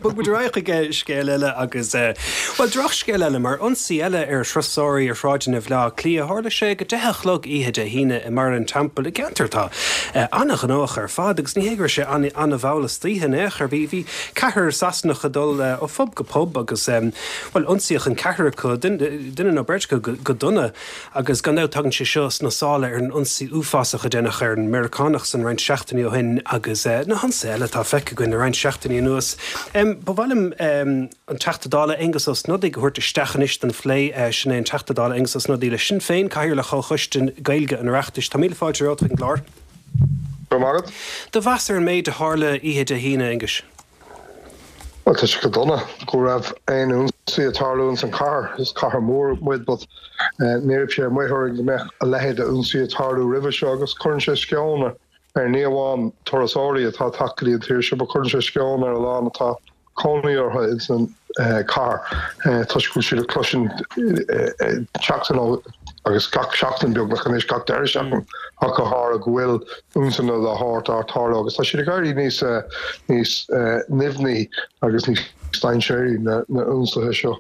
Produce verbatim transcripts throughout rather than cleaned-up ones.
Bog muid ar aghaidh chuig scéal eile agus bhuel drochscéal eile mar ionsaí eile ar thurasóirí ar shráideanna Bhaile Átha Cliath tharla sé ag a deich a chlog oíche Dé hAoine i mBarra an Teampaill i gceantar atá an-ghnóthach ar fad agus ní hé go raibh sé an-mhall istoíche in aon chor bhí bhí ceathrar Sasanach ag dul ó phub go pub agus bhuel ionsaíodh an ceathrar acu duine nó beirt acu go dona agus gan dabht tagann sé seo sna sála ar an ionsaí uafásach a déanadh ar an Meiriceánach san roinnt seachtainí ó shin agus na hionsaithe eile atá feicthe againn le roinnt seachtainí anuas. Ba mhaith liom an Teachta Dála Aengus Ó Snodaigh a thabhairt isteach anois don phlé sin é an Teachta Dála Aengus Ó Snodaigh le Sinn Féin Cathaoirleach Chomhchoiste Gaeilge an Oireachtais. Tá míle fáilte romhat chuig an gclár. Go maith. Do mheas ar an méid a tharla oíche Dé hAoine Aengus. Well tá sé go dona go raibh aon ionsaí ag tarlú ins an chathair is cathair mór muid but ní raibh sé amuigh orainn go mbeadh a leithéid de ionsaí ag tarlú roimhe seo agus cuireann sé sceon ar ní amháin turasóirí atá ag teacht go dtí an tír seo, but cuireann sé sceon ar a lán atá cónaí orthu ins an cathair toisc go bhfuil siad ag cloisint seachtain ó agus gach seachtain beagnach anois gach deireadh seachtain ach go háirithe go bhfuil ionsaithe dá shórt ag tarlú agus tá siad ag éirí níos níos nimhní agus níos dainséaraí na na ionsaithe seo.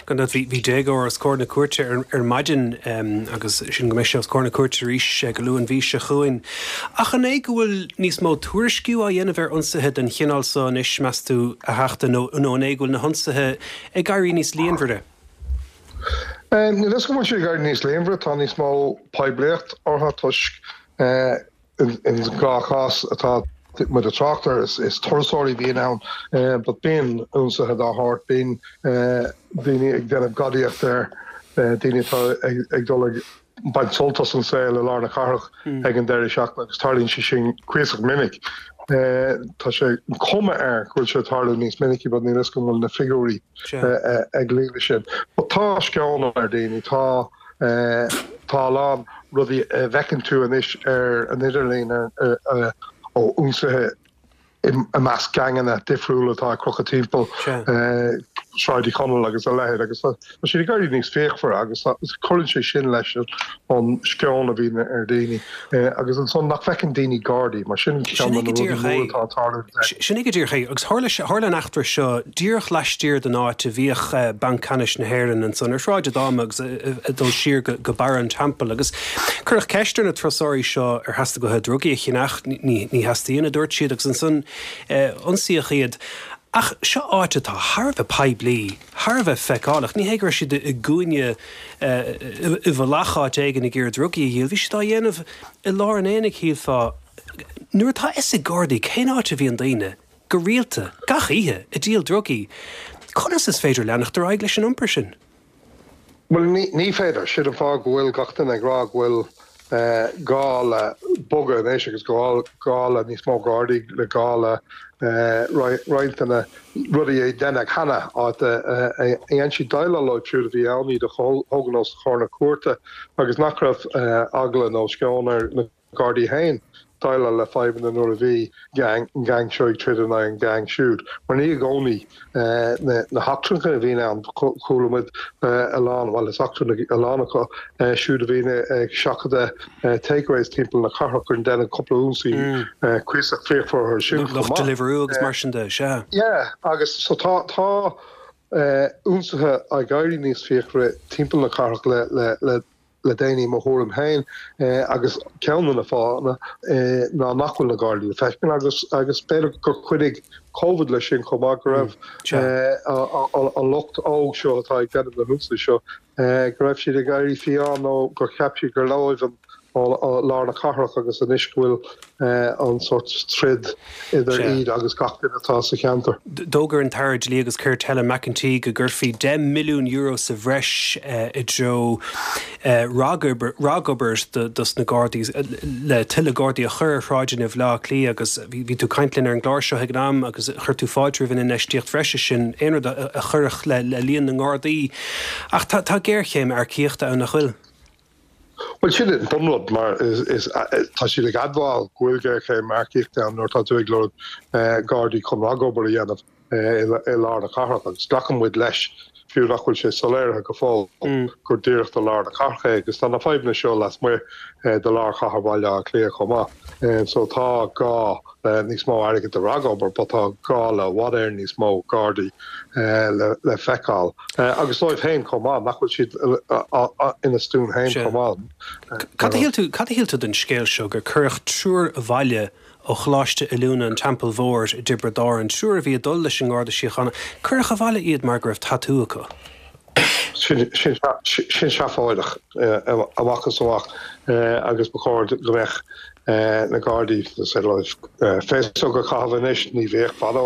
Gan dabht bhí déagóir os comhair na cúirte ar ar maidin agus sin go mbeidh sé os comhair na cúirte arís go luath an mhí seo chugainn. Ach an é go bhfuil níos mó tuairisciú á dhéanamh ar ionsaithe den chineál seo anois meas tú a Theachta nó nó an é go bhfuil na hionsaithe ag éirí níos líonmhaire? Níl a fhios agam an bhfuil siad ag éirí níos líonmhaire, tá níos mó poiblíocht orthu toisc in dhá chás atá muid ag trácht air, is turasóirí a bhíonn ann but bíonn ionsaithe dá shórt, bíonn daoine ag déanamh gadaíocht ar daoine atá ag dul ag baint sult as an saol i lár na cathrach ag an deireadh seachtaine agus tarlaíonn sé sin cuíosach minic. Tá sé an cuma air go bhfuil sé ag tarlú níos minicí but níl a fhios agam an bhfuil na figiúirí ag luí leis sin. But tá sceon ar daoine, tá tá a lán rudaí a bhfeiceann tú anois ar an idirlíon ó ionsaithe i measc geaingeanna difriúla atá ag crochadh timpeall Sráid Uí Chonaill agus a leithéid agus tá siad ag éirí níos fíochmhaire agus cuireann sé sin leis an sceon a bhíonn ar dhaoine agus ansan nach bhfeiceann daoine Gardaí mar sin ceann de na rudaí móra atá ag tarlú. Sin é go díreach é agus tharla tharla an eachtra seo díreach laistiar den áit a bhíodh Banc Ceannais na hÉireann ansan ar Shráid Fhadhma agus ag dul siar go Barra an Teampaill agus cuireadh ceist ar na turasóirí seo ar theastaigh uathu drugaí a cheannach, ní theastaíonn a dúirt siad agus ansan ionsaíodh iad. Ach seo áit atá thar a bheith poiblí, thar a bheith feiceálach. Ní hé go raibh siad i gcúinne i bhfolach áit éigin ag iarraidh drugaí a dhíol, bhí siad á dhéanamh i lár an aonaigh, shílfeá. Nuair atá a fhios ag Gardaí cén áit a bhíonn daoine, go rialta, gach oíche, ag díol drugaí, conas is féidir leanacht ar aghaidh leis an iompar sin? Bhuel, ní féidir. Sin an fáth go bhfuil gach duine ag rá go bhfuil gá le bogadh anois agus gá le níos mó Gardaí, le gá le roinnt de na rudaí a deineadh cheana, áit a dhein siad déileáil leo siúd a bhí ann, iad a thógaint os comhair na cúirte agus nach raibh eagla nó sceon ar na Gardaí féin déileáil le fadhbanna nuair a bhí an geaing seo ag troid in aghaidh an geaing siúd, mar ní i gcónaí na heachtrannaigh a bhíonn ann. Chuala muid a lán, bhuel is eachtrannaigh a lán acu siúd a bhíonn ag seachadadh takeaways timpeall na cathrach gur deineadh cúpla ionsaí cuíosach fíochmhar orthu sin chomh maith. Lucht Deliveroo agus mar sin de, sea. Yeah, agus so tá tá ionsaithe ag éirí níos fíochmhaire timpeall na cathrach le le le le déanaí, mo thuairim féin, agus ceann de na fáthanna ná nach bhfuil na Gardaí le feiscint agus agus b'fhéidir gur chuidigh Covid leis sin chomh maith, go raibh an lucht óg seo atá ag déanamh na hionsaithe seo, go raibh siad ag éirí fiáin nó gur cheap siad gur leo an lár na cathrach agus anois go bhfuil an sórt troid idir iad agus gach duine atá sa cheantar. D'fhógair an tAire Dlí agus Cirt Helen McEntee go gcuirfí deich milliún euro sa bhreis i dtreo ragobair dos na Gardaí le tuilleadh Gardaí a chur ar shráideanna Bhaile Átha Cliath agus bhí tú ag caint linn ar an gclár seo ag an am agus chuir tú fáilte roimh an infheistíocht bhreise sin, aon rud a chuirfeadh le líon na nGardaí. Ach tá géarchéim earcaíochta ann, nach bhfuil? Bhuel, sin an bunrud mar is tá siad ag admháil go bhfuil géarchéim earcaíochta ann nuair atá tú ag lorg Gardaí chun ragobair a dhéanamh. i lár na cathrach agus glacann muid leis fiú nach bhfuil sé soiléirithe go fóill gur díreach do lár na cathrach é agus tá na fadhbanna seo lasmuigh de lár chathair Bhaile Átha Cliath chomh maith. So tá gá le níos mó airgid do ragobair, but tá gá le i bhfad Éireann níos mó Gardaí le le feiceáil. Agus dóibh féin chomh maith, nach bhfuil siad ina stuaim féin chomh maith. Cad a shíl tú, cad a shíl tú den scéal seo gur cuireadh triúr abhaile ó Choláiste Oiliúna an Teampaill Mhóir i dTiobraid Árann, triúr a bhí ag dul leis an nGarda Síochána, cuireadh abhaile iad mar go raibh tatú acu? Sin seafóideach amach is amach agus ba chóir go mbeadh na Gardaí féasóg a chaitheamh anois, ní bhíodh fadó,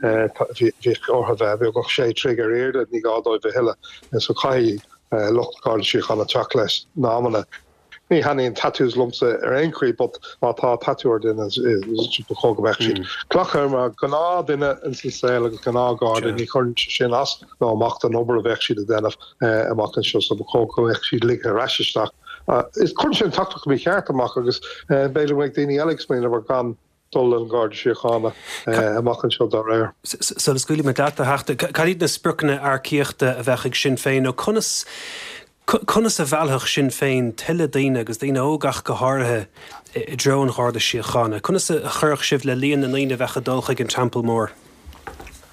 bhíodh orthu bheith beagnach sé troigh ar airde, ní gá dóibh a thuilleadh, so caithfidh lucht Garda Síochána teacht leis na hamanna. Ní thaitníonn tattoos liomsa ar aon chaoi but má tá tatú ar duine ba chóir go mbeadh siad glactha mar gnáthdhuine ins an saol agus gnáthgharda, ní chuireann sé sin as nó amach don obair a bheadh siad a dhéanamh amach anseo so ba chóir go mbeadh siad ligthe ar ais isteach. Is cuireann sé an teachtaireacht mícheart amach agus b'fhéidir go mbeidh daoine eile ag smaoineamh ar gan dul an Garda Síochána amach anseo dá réir. Sula scaoilfidh mé leat, a Theachta, cad iad na spriocanna earcaíochta a bheadh ag Sinn Féin nó conas Conas a mheallfadh Sinn Féin tuilleadh daoine, agus daoine óga ach go háirithe, i dtreo an Gharda Síochána? Conas a chuirfeadh sibh le líon na ndaoine a bheadh ag dul chuig an Teampall Mór?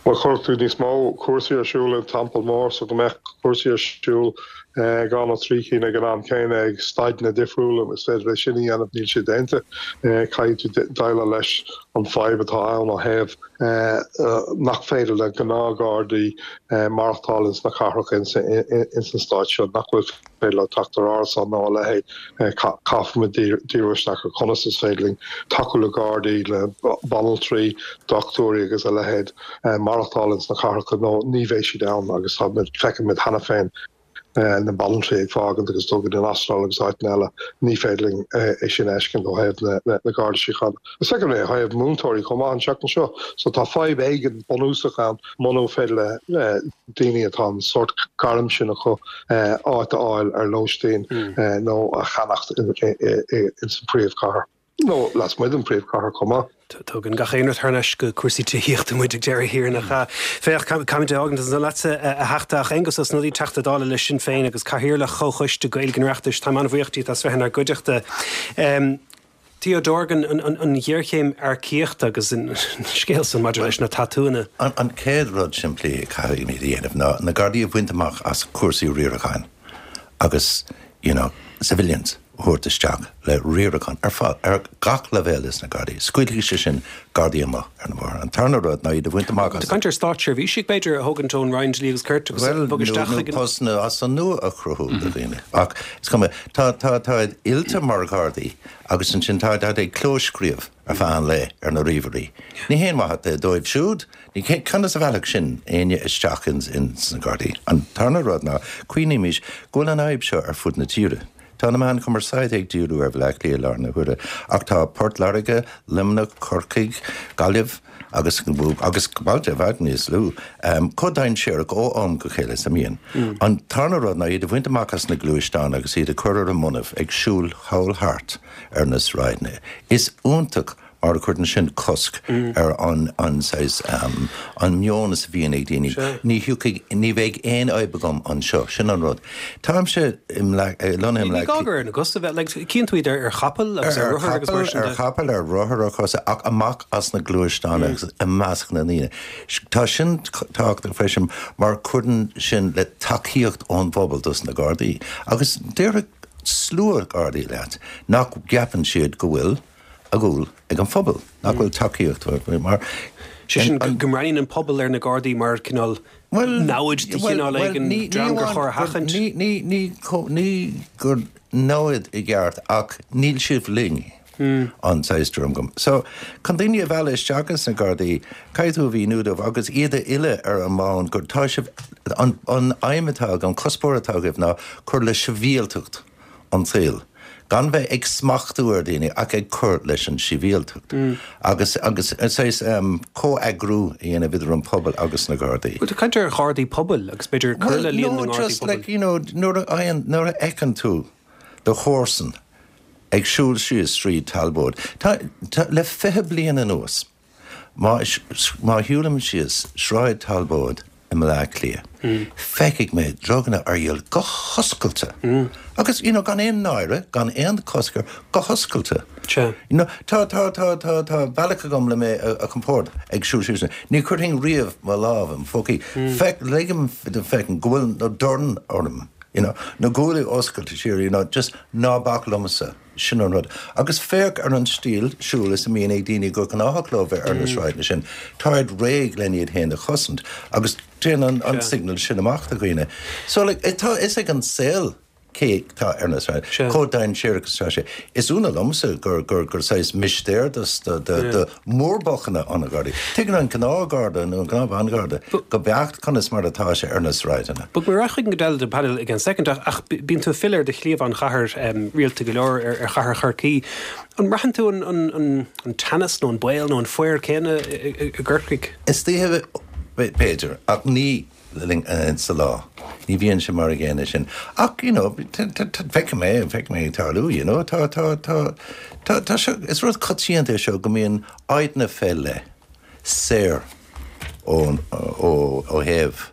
Bhuel, chuirfeadh tú níos mó cúrsaí ar siúl an Teampall Mór so go mbeadh cúrsaí ar siúl dhá nó trí cinn ag an am céanna ag staideanna difriúla. Is féidir é sin a dhéanamh, níl sé déanta. Caithfidh tú déileáil leis an fadhb atá ann ó thaobh nach féidir le gnáthghardaí maireachtáil ins na cathracha ins an stát seo, nach bhfuil féidir leo teacht ar árasán nó a leithéid. Caithfimid díriú isteach ar conas is féidir linn tacú le gardaí, le banaltraí, dochtúirí agus a leithéid maireachtáil ins na cathracha nó ní bheidh siad ann agus feicimid cheana féin na banaltraí ag fágaint agus dul go dtí an Astráil agus áiteanna eile, ní féidir linn é sin a fheiscint ó thaobh na Garda Síochána. Is feicim é ó thaobh múinteoirí chomh maith an tseachtain seo, so tá fadhb éigin bunúsach ann muna féidir le daoine atá an sórt gairm sin acu áit a fháil ar lóistín nó a cheannacht ins an príomhchathair. Nó lasmuigh den phríomhchathair chomh maith. Tugann gach aon rud thar n-ais go cúrsaí tithíochta muid ag deireadh thiar, nach ea? Féach, caithfimid é a fhágaint ansan leatsa, a Theachta, ach Aengus Ó Snodaigh, Teachta Dála le Sinn Féin agus Cathaoirleach Chomhchoiste Gaeilge an Oireachtais, táim an-bhuíoch díot as bheith inár gcuideachta. Theo Dorgan, an ghéarchéim earcaíochta agus an scéal san maidir leis na tatúanna. An chéad rud simplí a caithfimid a dhéanamh ná na Gardaí a bhaint amach as cúrsaí riaracháin agus, you know, civilians a thabhairt isteach le riarachán ar fad, ar gach leibhéal ins na Gardaí. Scaoilfidh sé sin Gardaí amach ar an bhóthar. An tarna rud ná iad a bhaint amach as. Tá caint ar státseirbhísigh, b'fhéidir, a thógaint ón Roinn Dlí agus Cirt agus a bhogadh isteach chuig an. Bhuel, nó postanna as an nua a chruthú do dhaoine. Ach is cuma, tá, tá, táid oilte mar Ghardaí agus ansin táid, táid ag clóscríobh ar feadh an lae ar na ríomhairí. Ní haon mhaith é dóibh siúd. Ní, conas a mheallfadh sin éinne isteach ins, ins na Gardaí? An tarna rud ná, cuimhnímis go bhfuil an fhadhb seo ar fud na tíre. Tá na meáin chumarsáide ag díriú ar Bhaile Átha Cliath i láthair na huaire, ach tá Port Láirge, Luimneach, Corcaigh, Gaillimh agus agus bailte i bhfad níos lú chomh dainséarach ó am go chéile is a mbíonn. An tarna rud ná iad a bhaint amach as na gluaisteáin agus iad a chur ar a mbonnaibh ag siúl thall thart ar na sráideanna. Is iontach mar a chuireann sin cosc ar an an saghas an meon is a bhíonn ag daoine. Ní thiocfaidh, ní bheidh aon fhadhb agam anseo, sin an rud. Táimse i lonnaithe i Ní gá gur ar na cosa a bheith, like, cíonn tú iad ar ar chapaill agus ar rothair agus mar sin de. Ar chapaill, ar rothar, ar chosa, ach amach as na gluaisteáin agus i measc na ndaoine. Tá sin tábhachtach freisin mar cuireann sin le tacaíocht ón bpobal dos na Gardaí. Agus déarfaidh slua Gardaí leat nach gceapann siad go bhfuil a gcúl ag an phobal, nach bhfuil tacaíocht mar. Sé sin go mbreathnaíonn an pobal ar na Gardaí mar cineál namhaid de chineál éigin, dream gur chóir a sheachaint. Ní ní gur namhaid i gceart ach níl sibh linn an saghas tuairim agam. So, chun daoine a mhealladh isteach ins na Gardaí, caithfidh tú a mhíniú dóibh agus iad a oileadh ar an mbonn gur tá sibh, an aidhm atá agaibh, an cuspóir atá agaibh ná cur le sibhialtacht an tsaoil, gan bheith ag smachtú ar dhaoine ach ag cur leis an sibhialtacht agus agus saghas comheagrú a dhéanamh idir an pobal agus na Gardaí. Bhuel, tá caint ar Ghardaí pobail agus b'fhéidir cur le líon na nGardaí pobail. Well, no, just like, you know, nuair a fhaigheann, nuair a fheiceann tú do chomharsan ag siúl síos Sráid Talbóid, tá, tá, le fiche bliain anuas, Má má shiúlaim síos Sráid Talbóid i mBaile Átha Cliath, feicfidh mé druganna ar dhíol go hoscailte. Agus you know, gan aon náire, gan aon cosc air, go hoscailte. Sea. You know, tá tá tá tá tá bealach agam le mé a, a chompord ag siúl síos. Ní chuirfinn riamh mo lámh im phócaí. Feic ligim do feicim go bhfuil na dorn orm. You know, na guaillí oscailte siar, you know, just ná bac liomsa. Sin an rud. Agus féach ar an stíl siúil is a mbíonn ag daoine go gnáthach leo bheith ar na sráideanna sin. Táid réidh len iad féin a chosaint agus téann an, an signal sin amach do dhaoine. So like, tá is ag an saol cé tá ar na sráid. Sea. Chomh dainséarach is atá sé. Is ionadh liomsa gur gur gur saghas mistéir dos do do do mhórbolcanna an Ghardaí. Tuigeann an gnáthgharda nó an gnáthbhangharda go beacht conas mar atá sé ar na sráideanna. Bog mé chuig an gcuid den panel ag an second ach ach bíonn tú fill ar do chliabhán chathair um, rialta go leor ar, ar chathair Chorcaí. An mbraitheann tú an, an, an, an teannas nó an baol nó an faobhar céanna i, i, i gCorcaigh? Istoíche b'fhéidir ach ní linn sa lá. Ní bhíonn sé mar a gcéanna sin. Ach you know, feicim é feicim é tarlú, you know, tá tá tá tá tá seo is rud coitianta é seo go mbíonn áiteanna fé leith saor ó ó ó thaobh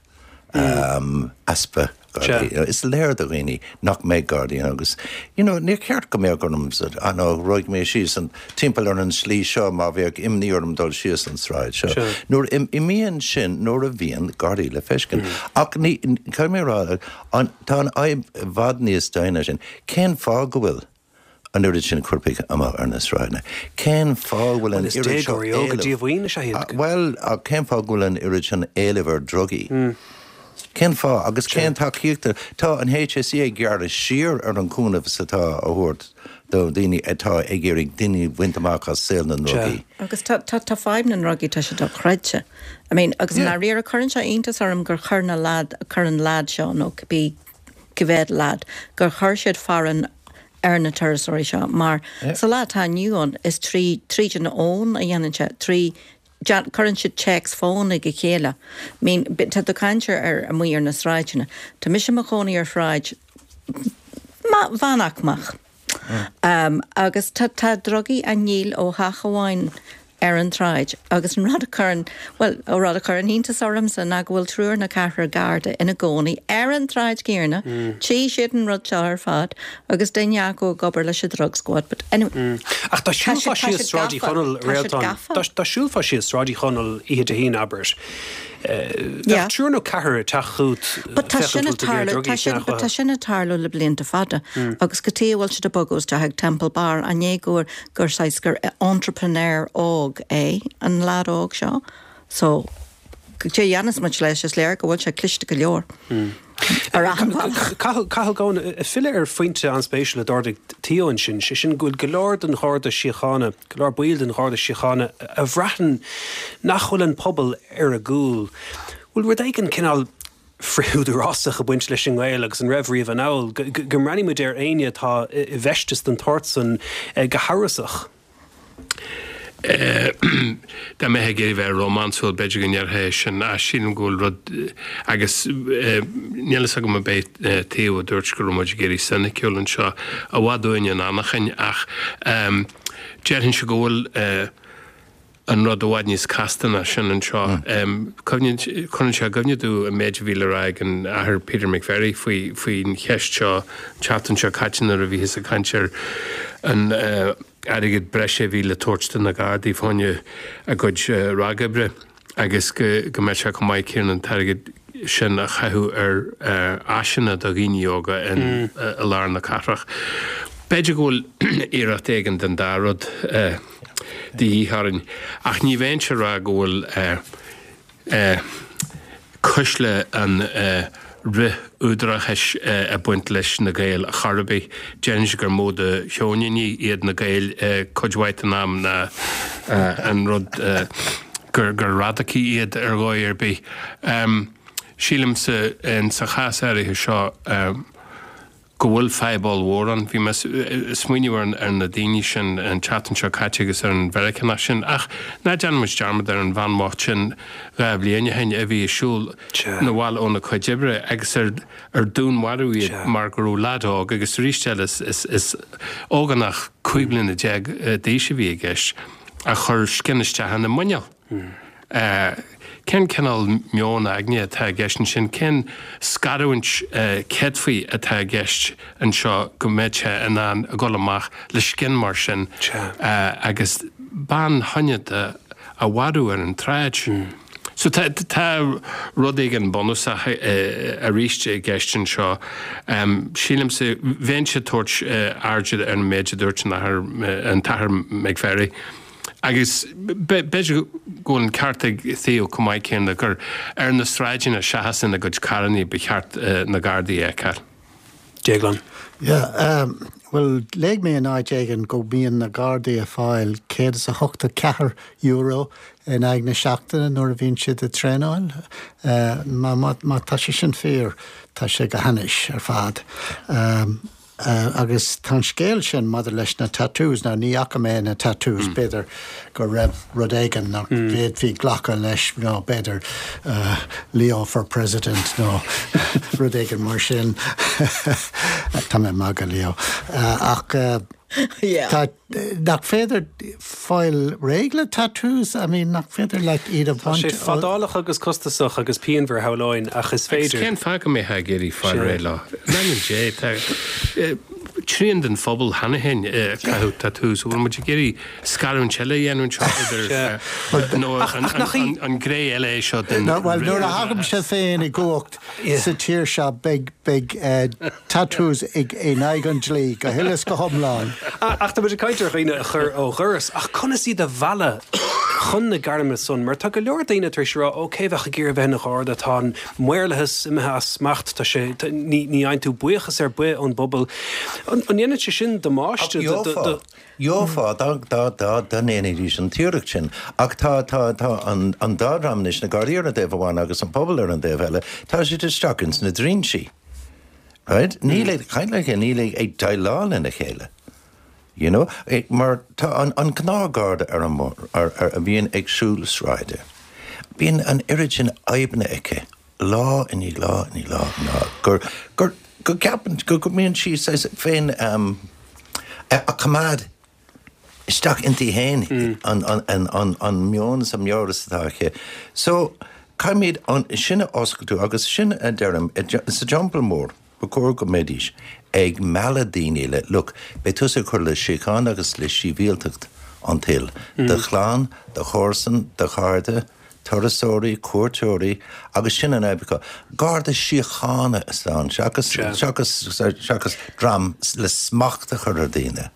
um, easpa Gardaí. You know, Is léir do dhaoine nach mbeidh Gardaí agus you know, níor cheart go mbeadh orm nó rachaidh mé síos an timpeall ar an slí seo má bheadh imní orm dul síos an sráid seo. Sure. Nuair im, imíonn sin nuair a bhíonn Gardaí le feiscint. Ach ní caithfidh mé rá an tá an fhadhb i bhfad níos doimhne sin. Cén fáth go bhfuil an oiread sin coirpigh amach ar na sráideanna. Cén fáth bhfuil an Is oiread seo déagóirí óga éilimh- díomhaoin is ea iad. Ah, Well, ach cén fáth go bhfuil an oiread sin éilimh ar drugaí? Cén fáth agus cén tacaíochta tá an HSE ag gearradh siar ar an cúnamh atá á thabhairt do daoine atá ag iarraidh daoine bhaint amach as saol na ndrugaí. Agus tá tá tá fadhb na ndrugaí tá sé dochreidte. I mean, agus Yeah. na riar cuireann sé iontas orm gur chuir na lad chuir an lad seo nó bí go bhféad lad gur chuir siad faireachán ar na turasóirí seo mar Yeah. sa lá atá inniu ann is trí tríd an fhón a dhéanann sé trí cuireann siad téacs fón ag a chéile. I mean, tá do caintear ar amuigh ar na sráideanna. Tá mise i mo chónaí ar shráid mheánaicmeach. Um, agus tá tá drugaí á ndíol ó theach amháin ar an tsráid agus an rud a chuireann well ó rud a chuireann iontas ormsa ná go bhfuil triúr nó ceathrar garda ina gcónaí ar an tsráid chéanna tí siad an rud seo ar fad agus duine acu ag obair leis an drug squad but anyway Ach dá siúlfá tá síos siad Sráid Uí gafa. Chonaill Tá siad réaltán gafa. Dá siúlfá síos Sráid Uí Chonaill oíche Dé hAoine abair. Yeah. Triúr nó ceathrar ag teacht chugat But tá sin ag tarlú tá sin but tá sin ag tarlú le blianta fada agus go tí bhfuil siad ag bogadh isteach ag Temple Bar an é gur gur sais gur entrepreneur óg é an lad óg seo so cé dhéanfas muid leis is léir go bhfuil sé cliste go leor. Ar achan bhealach. Cathal Goan filleadh ar phointe an-spéisiúil a d'ardaigh Theo ansin sé sin go bhfuil go leor den Gharda Síochána, go leor baill den Gharda Síochána a bhraitheann nach bhfuil an pobal ar a gcúl. Bhfuil rud éigin cineál frithúdarásach ag baint leis an nGael agus an raibh riamh anall, go go mbreathnaímid ar éinne atá i i bhfeisteas den tsórt san eh, go hamhrasach. Dá mbeifeá ag iarraidh bheith rómánsúil b'fhéidir go ndéarfá sin a sílim go bhfuil rud agus níl a fhios agam an é Theo a dúirt go raibh muid ag éirí soiniciúil anseo i bhfad uainn an anachain ach déarfainn se go bhfuil an rud i bhfad níos casta ná sin anseo. Cuireann sé i gcuimhne domh an méid a bhí le rá ag an Athair Peter McVerry faoi faoin cheist seo seachtain seo caite nuair a bhíothas ag caint ar an airgead breise a bhí le tabhairt do na Gardaí fá choinne a gcuid ragoibre agus go go mbeadh sé chomh maith céanna an t-airgead sin a chaitheamh ar áiseanna do dhaoine óga in i lár na cathrach. B'fhéidir go bhfuil iarracht éigin den dá rud de dhíth orainn, ach ní bheinn ag rá go bhfuil cuisle an fhrith-údarachais ag baint leis na Gaeil chor ar bith. Déarfainnse gur mó de sheoiníní iad na Gaeil cuid mhaith den am ná an rud gur gur radacaigh iad ar dhóigh ar bith. Sílimse sa chás áirithe seo go bhfuil fadhb ollmhór ann. Bhí mé ag smaoineamh ar ar na daoine sin an tseachtain seo caite agus ar an Mheiriceánach sin ach ná déanaimis dearmad ar an bhean bhocht sin dhá bhliain ó shin a bhí ag siúl na bhaile óna cuid oibre agus ar ar dúnmharú iad mar go raibh leaid óg agus arís eile is is is ógánach cúig bliana déag d'aois a bhí i gceist a chuir scian isteach ina muineál. Cén cineál meon aigne atá i gceist ansin? Cén scarúint céadfaí atá i gceist anseo go mbeadh sé in ann a dhul amach le scian mar sin agus bean shoineanta a mharú ar an tsráid? So tá tá rud éigin bunúsach arís i gceist anseo. Sílimse, bheinnse ag tabhairt airde ar an méid a dúirt an athair, an tAthair McVerry. Agus b'fhéidir go bhfuil an ceart ag Theo chomh maith céanna gur ar na sráideanna seachas ina gcuid carrannaí ba cheart na Gardaí a fheiceáil. Déaglán. Yeah, bhuel, léigh mé in áit éigin go mbíonn na Gardaí ag fáil céad is a hochtó ceathair euro in aghaidh na seachtaine nuair a bhíonn siad ag traenáil. Má, má, má tá sé sin fíor, tá sé go hainnis ar fad. Agus tá an scéal sin maidir leis na tattoos, now ní fhaca mé na tattoos, b'fhéidir go raibh rud éigin nach bhféadfaí glacadh leis, nó b'fhéidir Leo for President nó rud éigin mar sin. Tá mé ag magadh, Leo. Ach tá, nach féidir fáil réidh le tattoos? I mean, nach féidir leat iad a bhaint? Tá sé fadálach agus costasach agus pianmhar, shamhlóinn, ach is féidir. Agus cén fáth go mbeifeá ag iarraidh fáil réidh leo? In ainm Dé, tá trian den phobal cheana féin ag caitheamh tattoos. An bhfuil muid ag iarraidh scarúint eile a dhéanamh anseo idir nó an gné eile é seo den Bhuel, nuair a thagaimse féin i gcumhacht sa tír seo, beidh beidh tattoos in aghaidh an dlí go huile is go hiomlán. Ach tá muid ag caint ar dhaoine a chur ó dhoras, ach conas iad a mhealladh chun na gairme san? Mar tá go leor daoine tar éis a rá, ó cé bheadh ag iarraidh bheith ina gharda, tá an maorlathas imithe as smacht, tá sé, ní ní fhaigheann tú buíochas ar bith ón bpobal. An ndéanann sé sin damáiste do, do, do. Gheofá dá, dá, dá, dá ndéanfaidís an t-iarracht sin. Ach tá, tá, tá an, an dá dhream anois, na Gardaí ar an dtaobh amháin agus an pobal ar an dtaobh eile, tá siad isteach ins na dtrinsí. Right? Níl ag caint le chéile, níl ag, ag déileáil lena chéile. You know? Mar tá an, an gnáthgharda ar an mbóthar, ar, ar, a bhíonn ag siúl sráide, bíonn an oiread sin oibre aici, lá i ndiaidh lá i ndiaidh lá, lá, gur, gur, go gceapann, go, go mbíonn sí saghas féin um, a, a coimeád isteach inti féin an, an, an, an, an meon is an meabhras atá aici. So, caithfimid an, sin a oscailtú agus sin a deirim, sa Teampall Mór, ba chóir go mbeidís ag mealladh daoine le, look, beidh tusa ag cur le síocháin agus le sibhialtacht an tsaoil, do chlann, do chomharsan, do chairde, turasóirí, cuairteoirí, agus sin an fhadhb acu. Garda síochána is ann, seachas, seachas, seachas dream le smacht a chur ar dhaoine.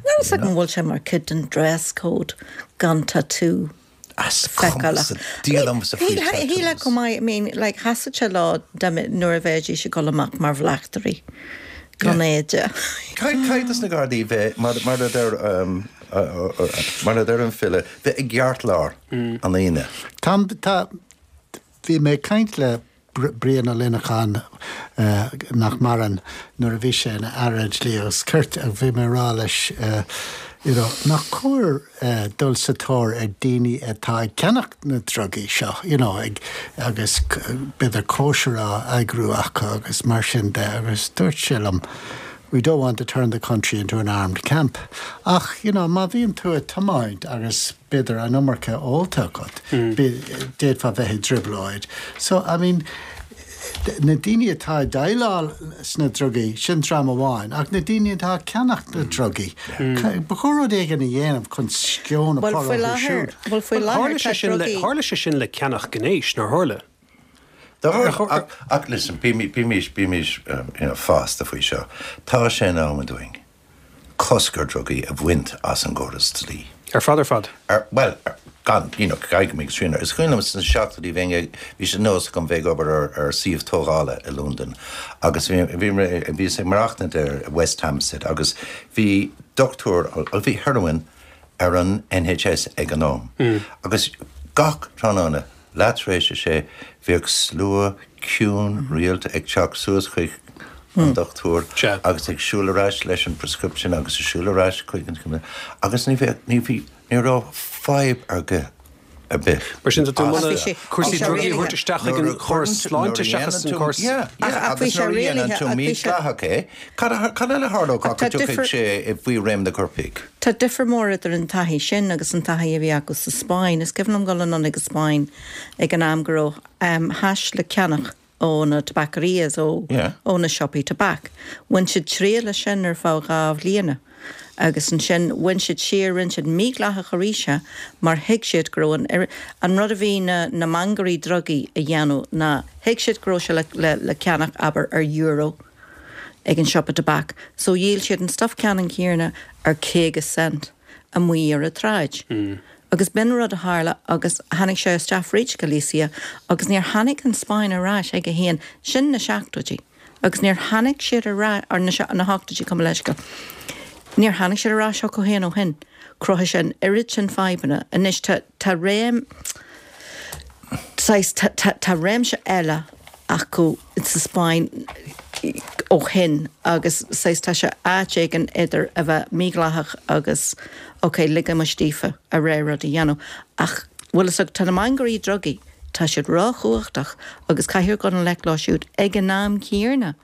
Níl a fhios agam an bhfuil sé mar chuid den dress code gan tatú. As cuma sa diabhal liomsa faoi tattoos. Shílfeá go mbeadh, I mean, like, sheasfadh sé leo dá mbeadh, nuair a bheidís ag dul amach mar bhleachtairí gan éide. Caithfidh dos na Gardaí bheith, mar, mar a deir, mar a deir an file, bheith i gceartlár an aonaigh. Tá, tá, bhí mé ag caint le Brian Ó Luineacháin, nach maireann, nuair a bhí sé ina Aire Dlí agus Cirt, agus bhí mé ag rá leis, you know, nach cóir dul sa tóir ar daoine atá ag ceannach na drugaí seo, you know, ag, agus b'fhéidir cóisir á eagrú acu agus mar sin de, agus dúirt sé liom, we don't want to turn the country into an armed camp. Ach, you know, má bhíonn tú ag tiomáint agus b'fhéidir an iomarca ólta agat, d'fhéadfá bheith i dtrioblóid. So, I mean, na daoine atá ag déileáil sna drugaí, sin dream amháin, ach na daoine atá ag ceannach na drugaí, ba chóir rud éigin a dhéanamh chun sceon a Bhuel, chur faoi orthu láthair, siúd. bhuel, faoi Bhuel, láthair tharla tá sé sin le, drugaí. tharla sé sin le ceannach gnéis, nár tharla? Do tharla, ach, ach listen, bímis, bímis, bímis, you know, fásta faoi seo. Tá sé in am dúinn cosc ar drugaí a bhaint as an gcóras dlí. Ar fad ar fad. Ar, bhuel, ar, gan, you know, caithfidh go mbeidh srian air. Is cuimhin liom sna seachtóidí bheinn ag, bhí sé nós agam bheith ag obair ar, ar suíomh tógála i Londain agus bhí, bhí, bhíos ag maireachtaint ar West Hampstead agus bhí dochtúir, bhí heroin ar an N H S ag an am. Agus gach tráthnóna, leath tar éis a sé, bhíodh slua ciúin rialta ag teacht suas chuig an dochtúir Sea. agus ag siúl ar ais leis an prescription agus ag siúl ar ais chuig an agus ní bheadh, ní bhí, ní raibh fadhb ar bith ar bith. Mar sin tá tú cúrsaí drugaí a thabhairt isteach ag an chóras sláinte seachas an córas. Agus nuair a dhéanann tú mídhleathach é, cad eile a tharlódh ach go dtiocfaidh sé faoi réim na gcoirpigh? Tá difear mór idir an taithí sin agus an taithí a bhí acu sa Spáinn. Is cuimhin liom dul anonn ag an Spáinn ag an am go raibh hash le ceannach ó na tabaquerías, ó ó na siopaí tobac. Bhain siad triail as sin ar feadh dhá bhliana agus ansin bhain siad siar, rinne siad mídhleathach arís é mar thuig siad go raibh an an rud a bhí na na mangairí drugaí a dhéanamh ná thuig siad go raibh sé le le le ceannach abair ar euro ag an siopa tobac so dhíol siad an stuif ceannann céanna ar caoga cent amuigh ar an tsráid. Agus b'in rud a tharla agus tháinig sé isteach fríd Galicia agus níor tháinig an Spáinn ar ais chuige féin, sin na seachtóidí, agus níor tháinig siad ar ais, or na hochtóidí, gabh mo leithscéal, níor tháinig siad ar ais chucu féin ó shin. Chruthaigh sé an oiread sin fadhbanna. Anois tá, tá réim, saghas, tá, tá, tá réimse eile acu sa Spáinn ó shin agus saghas tá sé áit éigin idir a bheith mídhleathach agus ok ligimis daofa a rogha rud a dhéanamh ach bhfuil fhios agat tá na mangairí drugaí tá siad róchumhachtach agus caithfear dul i ngleic leo siúd ag an am céanna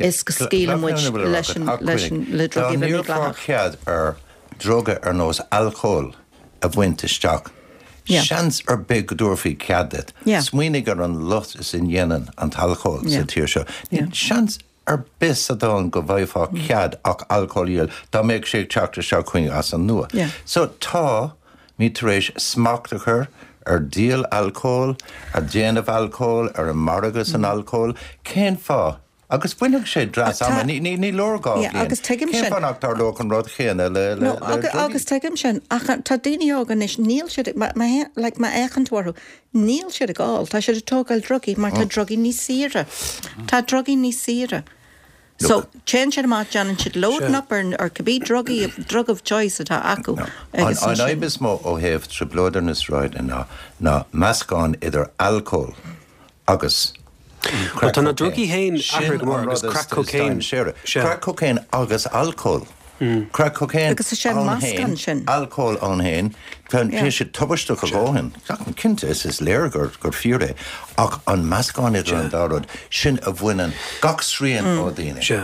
is go scaoileann muid leis an leis an le drugaí a bheith mídhleathach. Dá n-iarrfá cead ar druga ar nós alcóil a bhaint isteach Seans ar bith go dtabharfaí cead duit. Smaoinigh ar an lucht is a dhéanann an t-alcól sa tír seo. Níl seans ar bith sa domhan go bhfaighfeá cead ach alcól a dhíol dá mbeadh sé ag teacht isteach chugainn as an nua. So táimid tar éis smacht a chur ar dhíol alcóil, ar dhéanamh alcóil, ar an margadh san alcól. Cén fáth? Agus bainfidh sé dreas ama, ní leor dhá bhliain. Cén fáth nach dtarlódh an rud chéanna le drugaí? Agus tuigim sin, ach tá daoine óga anois, níl siad, like má fhéachann tú orthu, níl siad ag ól, tá siad ag tógáil drugaí mar tá drugaí níos saoire. Tá drugaí níos saoire. So, téann siad amach, déanann siad loading up ar ar cibé drugaí, drug of choice atá acu agus An ansin. fhadhb is mó ó thaobh trioblóid ar na sráideanna ná ná meascán idir alcól agus Bhuel, tá na drugaí féin athraithe go mór agus crack cocaine. Crack cocaine agus alcól. Crack cocaine Agus is é an ann féin, meascán sin. alcól ann féin, tá sé tubaisteach a dhóthain. Cinnte, is is léir gur gur fíor é, ach an meascán idir an dá rud, sin a bhaineann gach srian ó dhaoine. Sea.